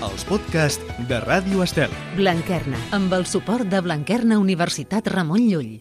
els podcasts de Ràdio Estel. Blanquerna, amb el suport de Blanquerna Universitat Ramon Llull.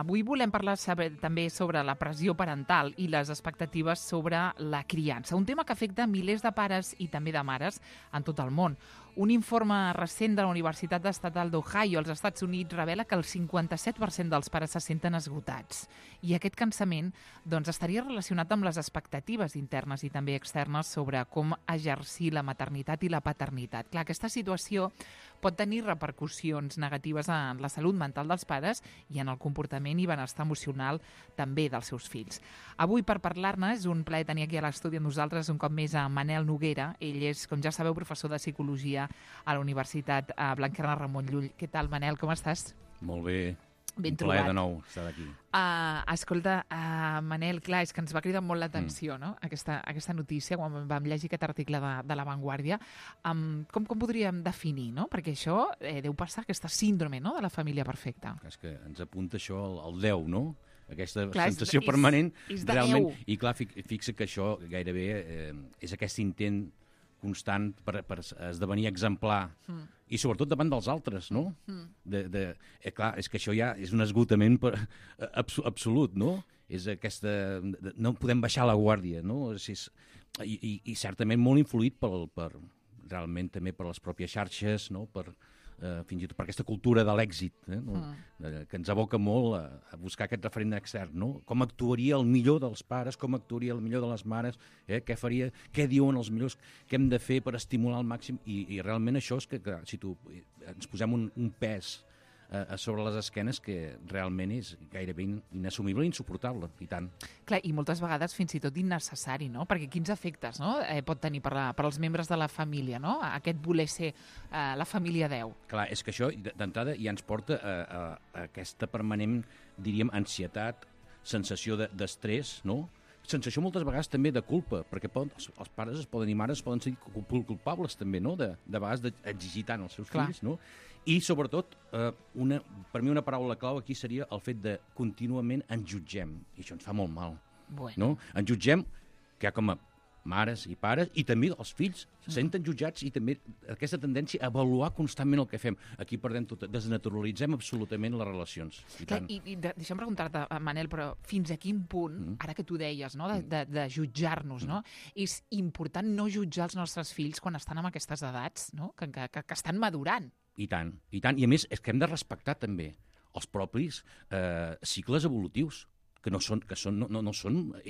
Avui volem parlar també sobre la pressió parental i les expectatives sobre la criança, un tema que afecta milers de pares i també de mares en tot el món. Un informe recent de la Universitat Estatal d'Ohio als Estats Units revela que el 57% dels pares se senten esgotats. I aquest cansament estaria relacionat amb les expectatives internes i també externes sobre com exercir la maternitat i la paternitat. Clar, aquesta situació pot tenir repercussions negatives en la salut mental dels pares i en el comportament i benestar emocional també dels seus fills. Avui, per parlar-ne, és un plaer tenir aquí a l'estudi amb nosaltres un cop més a Manel Noguera. Ell és, com ja sabeu, professor de Psicologia a la Universitat Blanquerna Ramon Llull. Què tal, Manel? Com estàs? Molt bé. Ben un plaer trobat. de nou estar aquí. Escolta, Manel, clar, és que ens va cridar molt l'atenció, no? Aquesta notícia, quan vam llegir aquest article de La Vanguardia. Com podríem definir, no? Perquè això deu passar, aquesta síndrome, no?, de la família perfecta. És que ens apunta això al 10, no? Aquesta clar, sensació permanent. És de realment, 10. I clar, fixa que això gairebé és aquest intent constant per esdevenir exemplar i sobretot davant dels altres, no? Clar, és que això ja és un esgotament absolut, no? És aquesta... No podem baixar la guàrdia, no? I certament molt influït realment també per les pròpies xarxes, no? Fins i tot per aquesta cultura de l'èxit, que ens aboca molt a buscar aquest referent extern, no? Com actuaria el millor dels pares, com actuaria el millor de les mares, què diuen els millors, què hem de fer per estimular al màxim, i realment això és que si ens posem un pes a sobre les esquenes que realment és gairebé inassumible i insuportable, i tant. Clar, i moltes vegades fins i tot innecessari, no? Perquè quins efectes, no?, pot tenir per als membres de la família, no?, aquest voler ser la família 10. Clar, és que això d'entrada ja ens porta a aquesta permanent, diríem, ansietat, sensació d'estrès, no? Sensació moltes vegades també de culpa, perquè els pares i mares poden ser culpables també, no?, de vegades d'exigir tant als seus fills, no? I, sobretot, per mi una paraula clau aquí seria el fet de contínuament ens jutgem, i això ens fa molt mal. No? Ens jutgem, que com a mares i pares, i també els fills se senten jutjats, i també aquesta tendència a avaluar constantment el que fem. Aquí perdem tot, desnaturalitzem absolutament les relacions. I deixa'm preguntar-te, Manel, però fins a quin punt, ara que tu deies, no, de jutjar-nos, no, és important no jutjar els nostres fills quan estan en aquestes edats, no, que estan madurant? I tant, i tant. I a més, és que hem de respectar també els propis cicles evolutius, que no són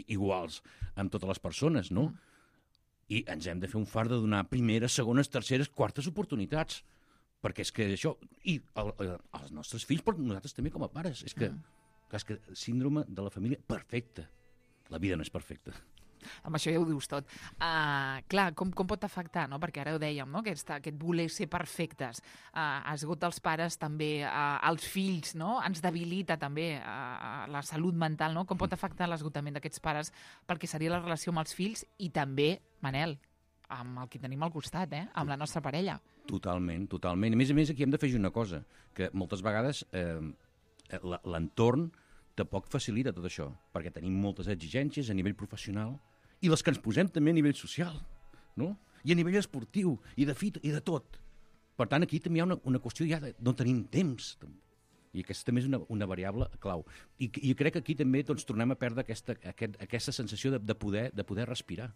iguals amb totes les persones, no? I ens hem de fer un fart de donar primeres, segones, terceres, quartes oportunitats. Perquè és que això... I els nostres fills, però nosaltres també com a pares. És que síndrome de la família perfecta. La vida no és perfecta. Amb això ja ho dius tot. Clar, com pot afectar, no? Perquè ara ho dèiem, no?, aquest voler ser perfectes esgota els pares també, els fills, no? Ens debilita també la salut mental, no? Com pot afectar l'esgotament d'aquests pares pel que seria la relació amb els fills i també, Manel, amb el que tenim al costat, amb la nostra parella. Totalment, totalment. A més, aquí hem d'afegir una cosa, que moltes vegades l'entorn tampoc facilita tot això, perquè tenim moltes exigències a nivell professional i les que ens posem també a nivell social, no? I a nivell esportiu, i de fit, i de tot. Per tant, aquí també hi ha una qüestió ja de no tenim temps. I aquesta també és una variable clau. I crec que aquí també tornem a perdre aquesta sensació de poder respirar.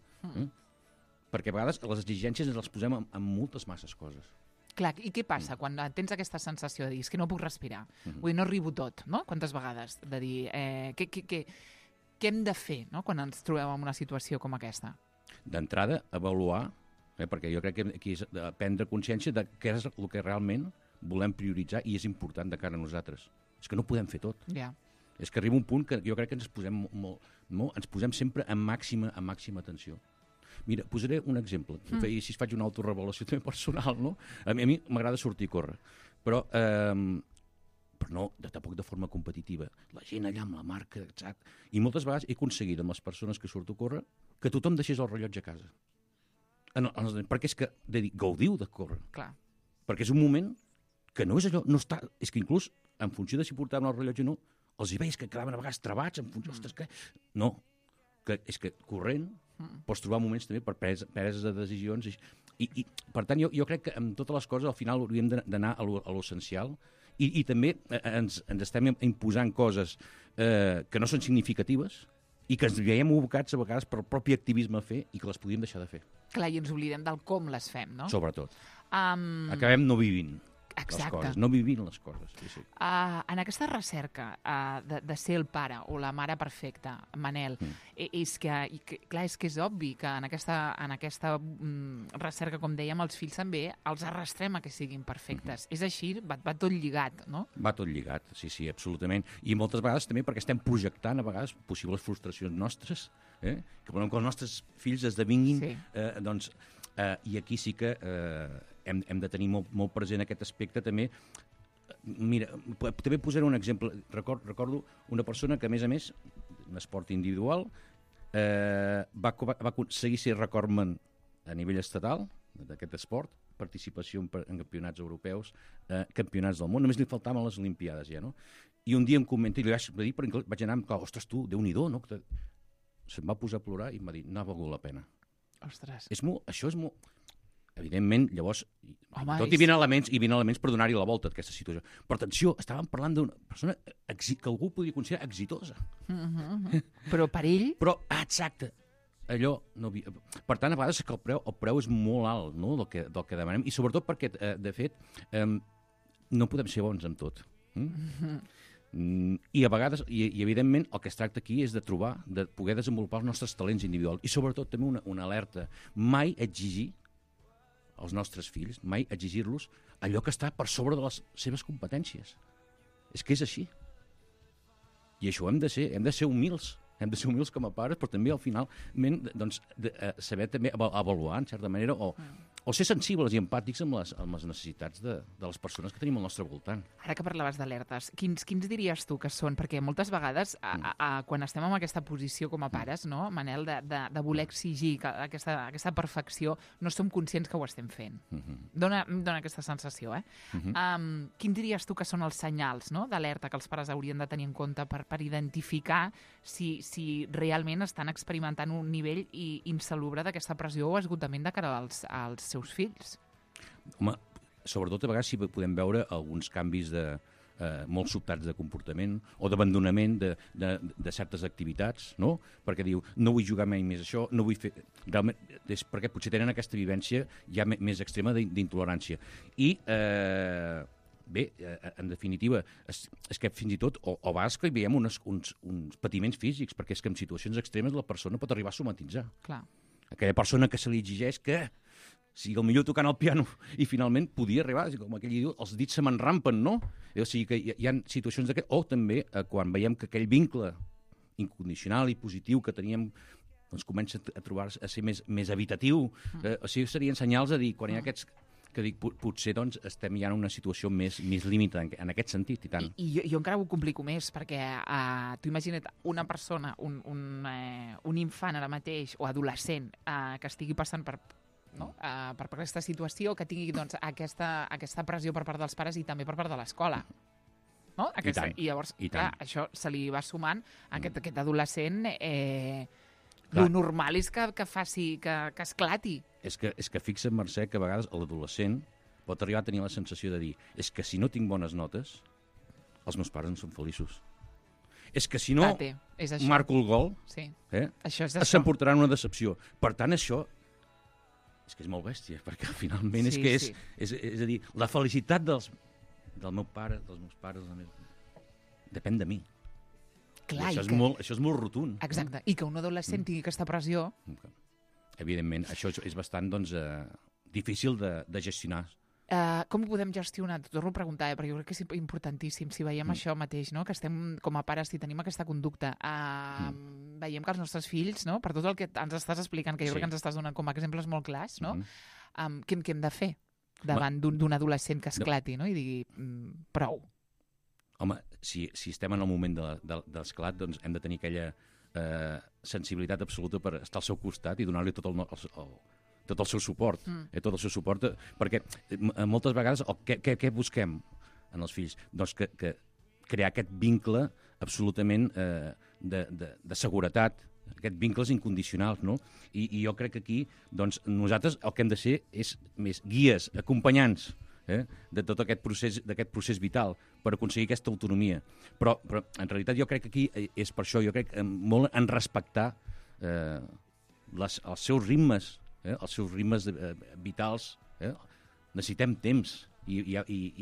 Perquè a vegades les exigències ens les posem amb moltes masses coses. Clar, i què passa quan tens aquesta sensació de dir és que no puc respirar? Vull dir, no arribo tot, no? Quantes vegades? De dir, què hem de fer, no?, quan ens trobem en una situació com aquesta? D'entrada, avaluar, perquè jo crec que aquí és prendre consciència de què és el que realment volem prioritzar i és important de cara a nosaltres. És que no podem fer tot. Ja. És que arriba un punt que jo crec que ens posem sempre en màxima atenció. Mira, posaré un exemple, i si faig una autorrevelació també personal, no? A mi m'agrada sortir a córrer, però no tampoc de forma competitiva. La gent allà amb la marca, exacte. I moltes vegades he aconseguit amb les persones que surto a córrer que tothom deixés el rellotge a casa. Perquè és que gaudiu de córrer. Clar. Perquè és un moment que no és allò, no està... És que inclús, en funció de si portaven el rellotge o no, els hi veies que quedaven a vegades trebats en funció... Ostres, què? No, és que corrent pots trobar moments també per preses de decisions i per tant, jo crec que amb totes les coses al final hauríem d'anar a l'essencial i també ens estem imposant coses que no són significatives i que ens veiem abocats a vegades per el propi activisme a fer i que les podíem deixar de fer. Clar, i ens oblidem del com les fem, no? Sobretot. Acabem no vivint. Exacte. Les coses, no vivint les coses. Sí. En aquesta recerca de ser el pare o la mare perfecta, Manel, és que és obvi que en aquesta recerca, com dèiem, els fills també els arrastrem a que siguin perfectes. És així, va tot lligat, no? Va tot lligat, sí, absolutament. I moltes vegades també perquè estem projectant a vegades possibles frustracions nostres, que volem que els nostres fills esdevinguin, doncs, i aquí sí que hem de tenir molt present aquest aspecte també. Mira, també posaré un exemple. Recordo una persona que, a més, un esport individual, va aconseguir ser recordman a nivell estatal d'aquest esport, participació en campionats europeus, campionats del món, només li faltaven les Olimpiades ja, no? I un dia em comenta, i li vaig dir, vaig anar, ostres, tu, Déu-n'hi-do, no? Se'm va posar a plorar i em va dir, no ha valgut la pena. Ostres. Això és molt... Evidentment, llavors, tot hi havia elements per donar-hi la volta a aquesta situació. Però atenció, estàvem parlant d'una persona que algú podia considerar exitosa. Però per ell... Però, exacte, allò... No havia... Per tant, a vegades que el preu és molt alt, no?, del que demanem, i sobretot perquè, de fet, no podem ser bons amb tot. I a vegades, i evidentment, el que es tracta aquí és de trobar, de poder desenvolupar els nostres talents individuals. I sobretot també una alerta. Mai exigir als nostres fills, mai exigir-los allò que està per sobre de les seves competències. És que és així. I això hem de ser humils. Hem de ser humils com a pares, però també al final doncs, saber també avaluar, en certa manera, o ser sensibles i empàtics amb les necessitats de les persones que tenim al nostre voltant. Ara que parlaves d'alertes, quins diries tu que són? Perquè moltes vegades, quan estem en aquesta posició com a pares, no, Manel, de voler exigir aquesta perfecció, no som conscients que ho estem fent. Dóna aquesta sensació, Quins diries tu que són els senyals, no, d'alerta que els pares haurien de tenir en compte per identificar si realment estan experimentant un nivell insalubre d'aquesta pressió o esgotament de cara als seus fills? Home, sobretot a vegades sí podem veure alguns canvis molt sobtats de comportament o d'abandonament de certes activitats, no? Perquè diu, no vull jugar mai més això, no vull fer... Realment, és perquè potser tenen aquesta vivència ja més extrema d'intolerància. I... Bé, en definitiva, és que fins i tot, o a vegades que hi veiem uns patiments físics, perquè és que en situacions extremes la persona pot arribar a somatitzar. Clar. Aquella persona que se li exigeix que sigui el millor tocant el piano i finalment podia arribar, com aquell diu, els dits se m'enrampen, no? O sigui que hi ha situacions d'aquest, o també quan veiem que aquell vincle incondicional i positiu que teníem doncs comença a trobar-se, a ser més habitatiu. O sigui, serien senyals de dir, quan hi ha aquests... que dic, potser doncs, estem ja en una situació més límita en aquest sentit, i tant. I jo encara ho complico més, perquè tu imagina't una persona, un infant ara mateix, o adolescent, que estigui passant per aquesta situació, que tingui doncs, aquesta pressió per part dels pares i també per part de l'escola. No? I llavors, clar, això se li va sumant a aquest adolescent... Lo normal és que esclati. És que fixa't, Mercè, que a vegades l'adolescent pot arribar a tenir la sensació de dir és que si no tinc bones notes, els meus pares no són feliços. És que si no marco el gol, s'emportaran una decepció. Per tant, això és que és molt bèstia, perquè finalment és a dir, la felicitat del meu pare, dels meus pares, depèn de mi. Clar, això és molt rotund. Exacte, i que un adolescent tingui aquesta pressió... Evidentment, això és bastant difícil de gestionar. Com ho podem gestionar? T'ho torno a preguntar, perquè jo crec que és importantíssim. Si veiem això mateix, no? Que estem com a pares, si tenim aquesta conducta, veiem que els nostres fills, no? Per tot el que ens estàs explicant, que jo crec que ens estàs donant com a exemples molt clars, no? Què hem de fer davant d'un adolescent que esclati, no? I digui, prou. Home, si estem en el moment de l'esclat, doncs hem de tenir aquella sensibilitat absoluta per estar al seu costat i donar-li tot tot el seu suport, tot el seu suport, perquè moltes vegades què busquem en els fills? Doncs que crear aquest vincle absolutament de seguretat, aquests vincles incondicionals, no? I jo crec que aquí, doncs, nosaltres el que hem de ser és més guies, acompanyants, de tot aquest procés vital per aconseguir aquesta autonomia. Però en realitat jo crec que aquí és per això, jo crec molt en respectar els seus ritmes, els seus ritmes vitals. Necessitem temps i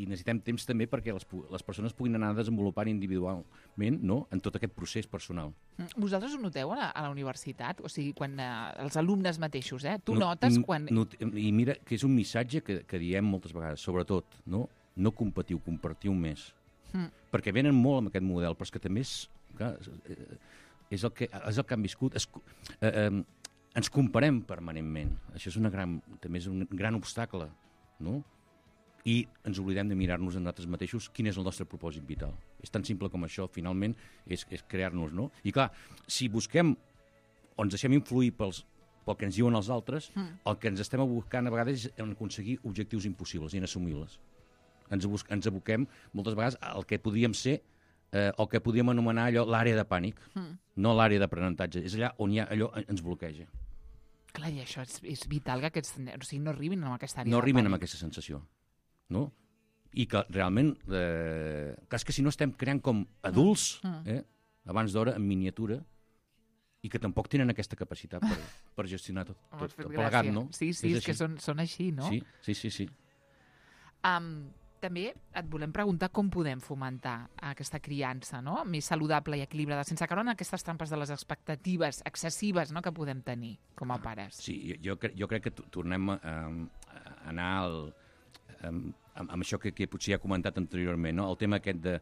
necessitem temps també perquè les persones puguin anar desenvolupant individualment, no?, en tot aquest procés personal. Vosaltres ho noteu a la universitat? O sigui, quan els alumnes mateixos, tu notes quan... I mira que és un missatge que diem moltes vegades, sobretot, no competiu, compartiu més. Perquè venen molt amb aquest model, però és que també és el que han viscut. Ens comparem permanentment. Això també és un gran obstacle, no? I ens oblidem de mirar-nos a nosaltres mateixos quin és el nostre propòsit vital. És tan simple com això, finalment, és crear-nos, no? I clar, si busquem o ens deixem influir pel que ens diuen els altres, el que ens estem buscant a vegades és en aconseguir objectius impossibles, inassumibles. Ens aboquem moltes vegades al que podríem ser o que podríem anomenar allò l'àrea de pànic, no l'àrea d'aprenentatge. És allà on allò ens bloqueja. Clar, i això és vital que aquests nens no arribin a aquesta àrea de pànic. No arriben amb aquesta sensació. No? I que realment, és que si no estem creant com adults, abans d'hora, en miniatura, i que tampoc tenen aquesta capacitat per gestionar tot plegat, no? Sí, és que són així, no? Sí. També et volem preguntar com podem fomentar aquesta criança, no?, més saludable i equilibrada, sense caure en aquestes trampes de les expectatives excessives, no?, que podem tenir com a pares. Sí, jo crec que tornem a anar amb això que potser ja he comentat anteriorment, no? El tema aquest de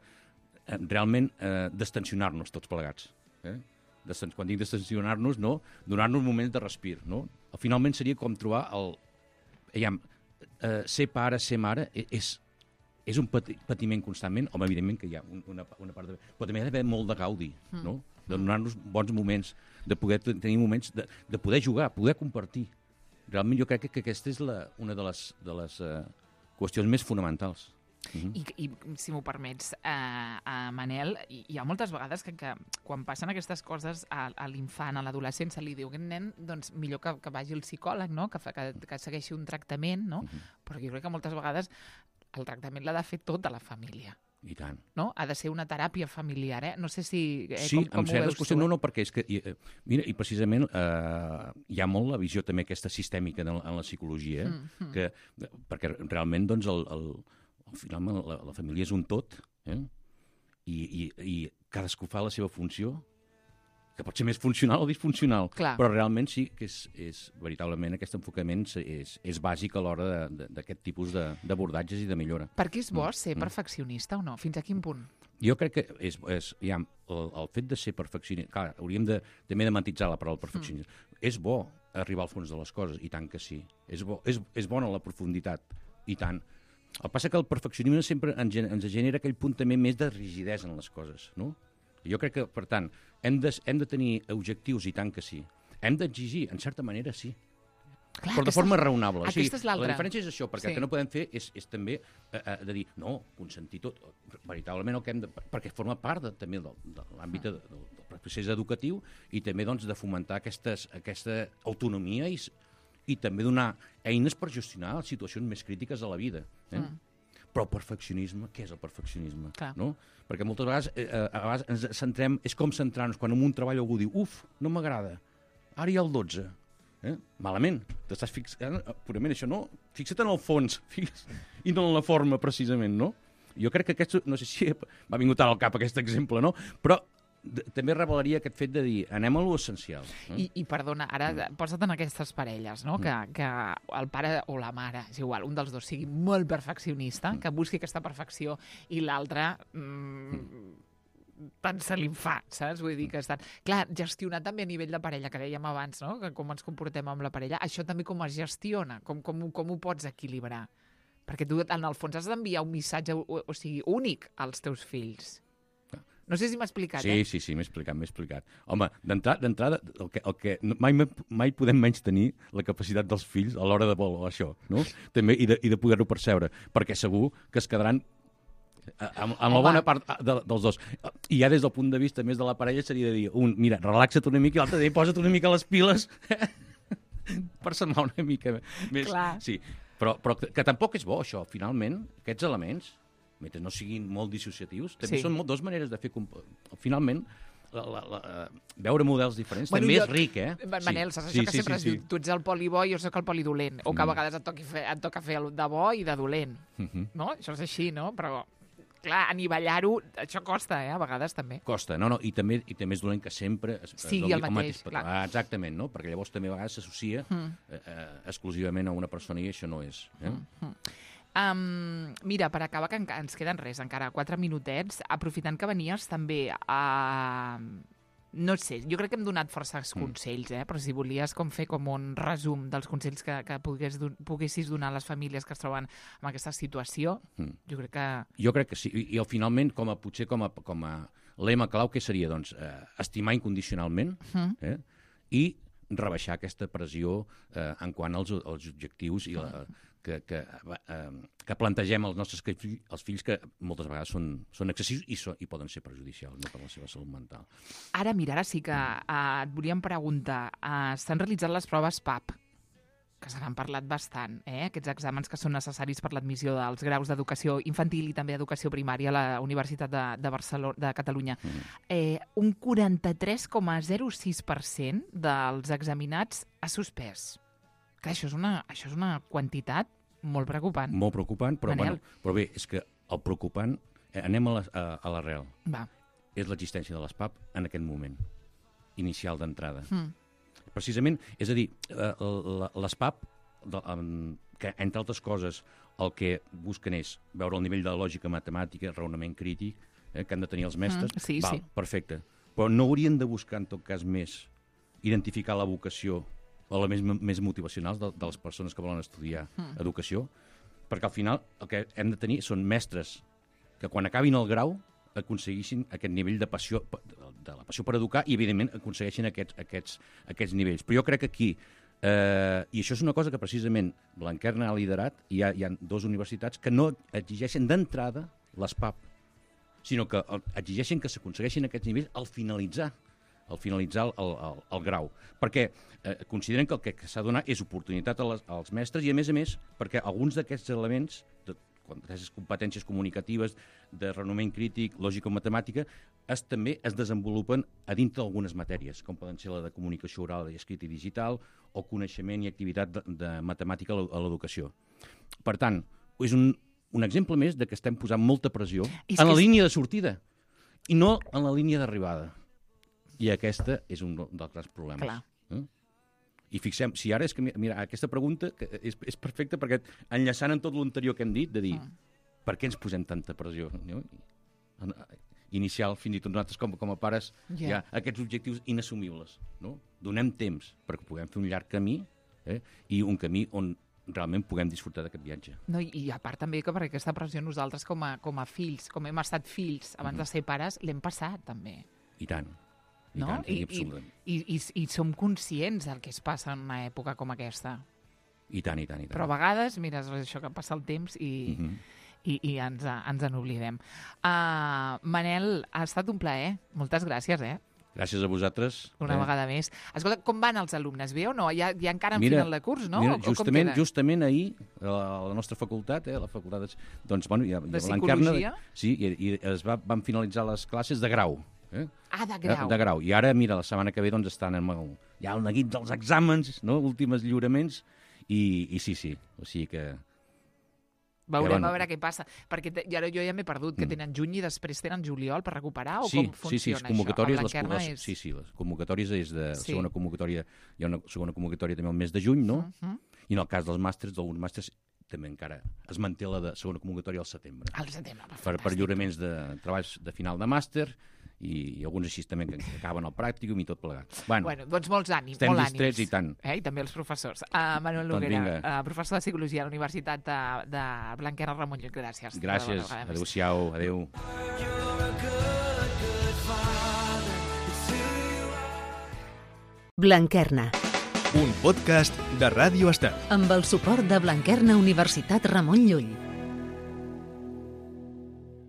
realment destensionar-nos tots plegats. Quan dic destensionar-nos, no? Donar-nos moments de respir. No? Finalment seria com trobar ser pare, ser mare, és un patiment constantment, home, evidentment que hi ha una part de... Però també hi ha d'haver molt de gaudi, no? De donar-nos bons moments, de poder tenir moments de poder jugar, poder compartir. Realment jo crec que aquesta és una de les qüestions més fonamentals. I si m'ho permets, Manel, hi ha moltes vegades que quan passen aquestes coses a l'infant, a l'adolescent, se li diu aquest nen, doncs millor que vagi al psicòleg, no?, que segueixi un tractament, no? Però jo crec que moltes vegades el tractament l'ha de fer tota la família. I tant. No? Ha de ser una teràpia familiar, No sé si... Sí, amb certes qüestions, no, perquè és que... Mira, i precisament hi ha molt la visió també aquesta sistèmica en la psicologia, perquè realment, doncs, finalment la família és un tot, i cadascú fa la seva funció, que pot ser més funcional o disfuncional. Clar. Però realment sí que és veritablement aquest enfocament és bàsic a l'hora d'aquest tipus d'abordatges i de millora. Per què és bo ser perfeccionista o no? Fins a quin punt? Jo crec que el fet de ser perfeccionista... Clar, hauríem també de matisar la paraula perfeccionista. És bo arribar al fons de les coses, i tant que sí. És bona la profunditat, i tant. El que passa que el perfeccionisme sempre ens genera aquell punt també més de rigidesa en les coses, no? Jo crec que, per tant, hem de tenir objectius, i tant que sí. Hem d'exigir, en certa manera, sí. Clar, però de forma raonable. Aquesta és l'altra. La diferència és això, perquè el que no podem fer és també de dir, no, consentir tot. Veritablement el que hem de... Perquè forma part també de l'àmbit del procés educatiu i també doncs, de fomentar aquesta autonomia i també donar eines per gestionar les situacions més crítiques de la vida. Però el perfeccionisme, què és el perfeccionisme? No? Perquè moltes vegades, a vegades ens centrem, és com centrar-nos, quan en un treball algú diu, no m'agrada, ara hi ha el 12. Malament, t'estàs fixant purament això, no? Fixa't en el fons, i no en la forma, precisament, no? Jo crec que aquest, no sé si m'ha vingut ara al cap aquest exemple, no? Però també revelaria aquest fet de dir, anem a l'essencial. I perdona, ara posa't en aquestes parelles, no? Que el pare o la mare, és igual, un dels dos sigui molt perfeccionista, que busqui aquesta perfecció, i l'altre tant se li fa, saps? Vull dir que estan... Clar, gestionar també a nivell de parella, que dèiem abans, no?, que com ens comportem amb la parella, això també com es gestiona, com ho pots equilibrar? Perquè tu, en el fons, has d'enviar un missatge, o sigui, únic als teus fills. No sé si m'ha explicat, Sí, m'he explicat. Home, d'entrada, el que mai podem menys tenir la capacitat dels fills a l'hora de voler això, no? També, i de poder-ho percebre, perquè segur que es quedaran amb la bona part dels dos. I ja des del punt de vista més de la parella seria de dir, mira, relaxa't una mica, i l'altre dia posa't una mica les piles per semblar una mica més. Clar. Sí, però que tampoc és bo, això, finalment, aquests elements, mentre no siguin molt dissociatius, també són dues maneres de fer... Finalment, veure models diferents també és ric, Manel, saps això que sempre es diu, tu ets el poli bo i jo soc el poli dolent, o que a vegades et toca fer el de bo i de dolent, no? Això és així, no? Però, clar, anivellar-ho, això costa, a vegades també. Costa, no, i també és dolent que sempre sigui el mateix, clar. Exactament, no? Perquè llavors també a vegades s'associa exclusivament a una persona i això no és. Mira, per acabar, que ens queden encara 4 minutets, aprofitant que venies també no sé, jo crec que hem donat força consells, però si volies fer com un resum dels consells que poguessis donar a les famílies que es troben en aquesta situació, jo crec que... Jo crec que sí, i finalment, potser com a lema clau, què seria? Doncs estimar incondicionalment i rebaixar aquesta pressió en quant als objectius i que plantegem als nostres fills, que moltes vegades són excessius i poden ser perjudicials per la seva salut mental. Ara sí que et volíem preguntar, s'han realitzat les proves PAP, que se n'han parlat bastant, aquests exàmens que són necessaris per l'admissió dels graus d'educació infantil i també d'educació primària a la Universitat de Catalunya. Un 43,06% dels examinats ha suspès. Clar, això és una quantitat molt preocupant. Molt preocupant, però bé, és que el preocupant... Anem a l'arrel. És l'existència de les PAP en aquest moment, inicial d'entrada. Precisament, és a dir, les PAP, que entre altres coses el que busquen és veure el nivell de lògica matemàtica, raonament crític, que han de tenir els mestres, perfecte. Però no haurien de buscar, en tot cas, més identificar la vocació o elements més motivacionals de les persones que volen estudiar educació, perquè al final el que hem de tenir són mestres que quan acabin el grau aconseguissin aquest nivell de passió, de la passió per educar, i evidentment aconsegueixin aquests nivells. Però jo crec que aquí, i això és una cosa que precisament Blanquerna ha liderat, i hi ha dues universitats que no exigeixen d'entrada les PAP, sinó que exigeixen que s'aconsegueixin aquests nivells al finalitzar el grau, perquè consideren que el que s'ha de donar és oportunitat als mestres i, a més, perquè alguns d'aquests elements, aquestes competències comunicatives, de raonament crític, lògica o matemàtica, també es desenvolupen a dintre d'algunes matèries, com poden ser la de comunicació oral i escrita i digital, o coneixement i activitat de matemàtica a l'educació. Per tant, és un exemple més de que estem posant molta pressió en la línia de sortida i no en la línia d'arribada. I aquesta és un dels grans problemes. Clar. I fixem, si ara és que, mira, aquesta pregunta és perfecta perquè enllaçant en tot l'anterior que hem dit, de dir, per què ens posem tanta pressió? No? Inicial, fins i tot nosaltres com a pares, hi ha aquests objectius inassumibles. No? Donem temps perquè puguem fer un llarg camí i un camí on realment puguem disfrutar d'aquest viatge. No, i a part també que per aquesta pressió nosaltres com a fills, com hem estat fills abans de ser pares, l'hem passat també. I tant. No? I som conscients del que es passa en una època com aquesta. I tant. Però a vegades, mira, és això que passa el temps i ens n'oblidem. Manel, ha estat un plaer. Moltes gràcies, Gràcies a vosaltres. Una vegada més. Escolta, com van els alumnes? Bé o no? Ja encara en final de curs, no? Mira, justament ahir, a la nostra facultat, la facultat de Psicologia, i van finalitzar les classes de grau. De grau. De grau. I ara, mira, la setmana que ve estan ja al neguit dels exàmens, últims lliuraments, i sí. O sigui que... Veurem a veure què passa. Perquè jo ja m'he perdut, que tenen juny i després tenen juliol per recuperar, o com funciona això? Les convocatòries és de segona convocatòria, hi ha una segona convocatòria també al mes de juny, no? I en el cas dels màsters, d'alguns màsters, també encara es manté la de segona convocatòria al setembre. Al setembre, per lliuraments de treballs de final de màster, i alguns així també que acaben el pràcticum i tot plegat. Bueno, doncs molts ànims. Estem distrets i tant. I també els professors. Manuel Noguera, professor de Psicologia a la Universitat de Blanquerna Ramon Llull. Gràcies. Gràcies. Adéu-siau. Adéu. Blanquerna, Un podcast de Ràdio Estel. amb el suport de Blanquerna Universitat Ramon Llull.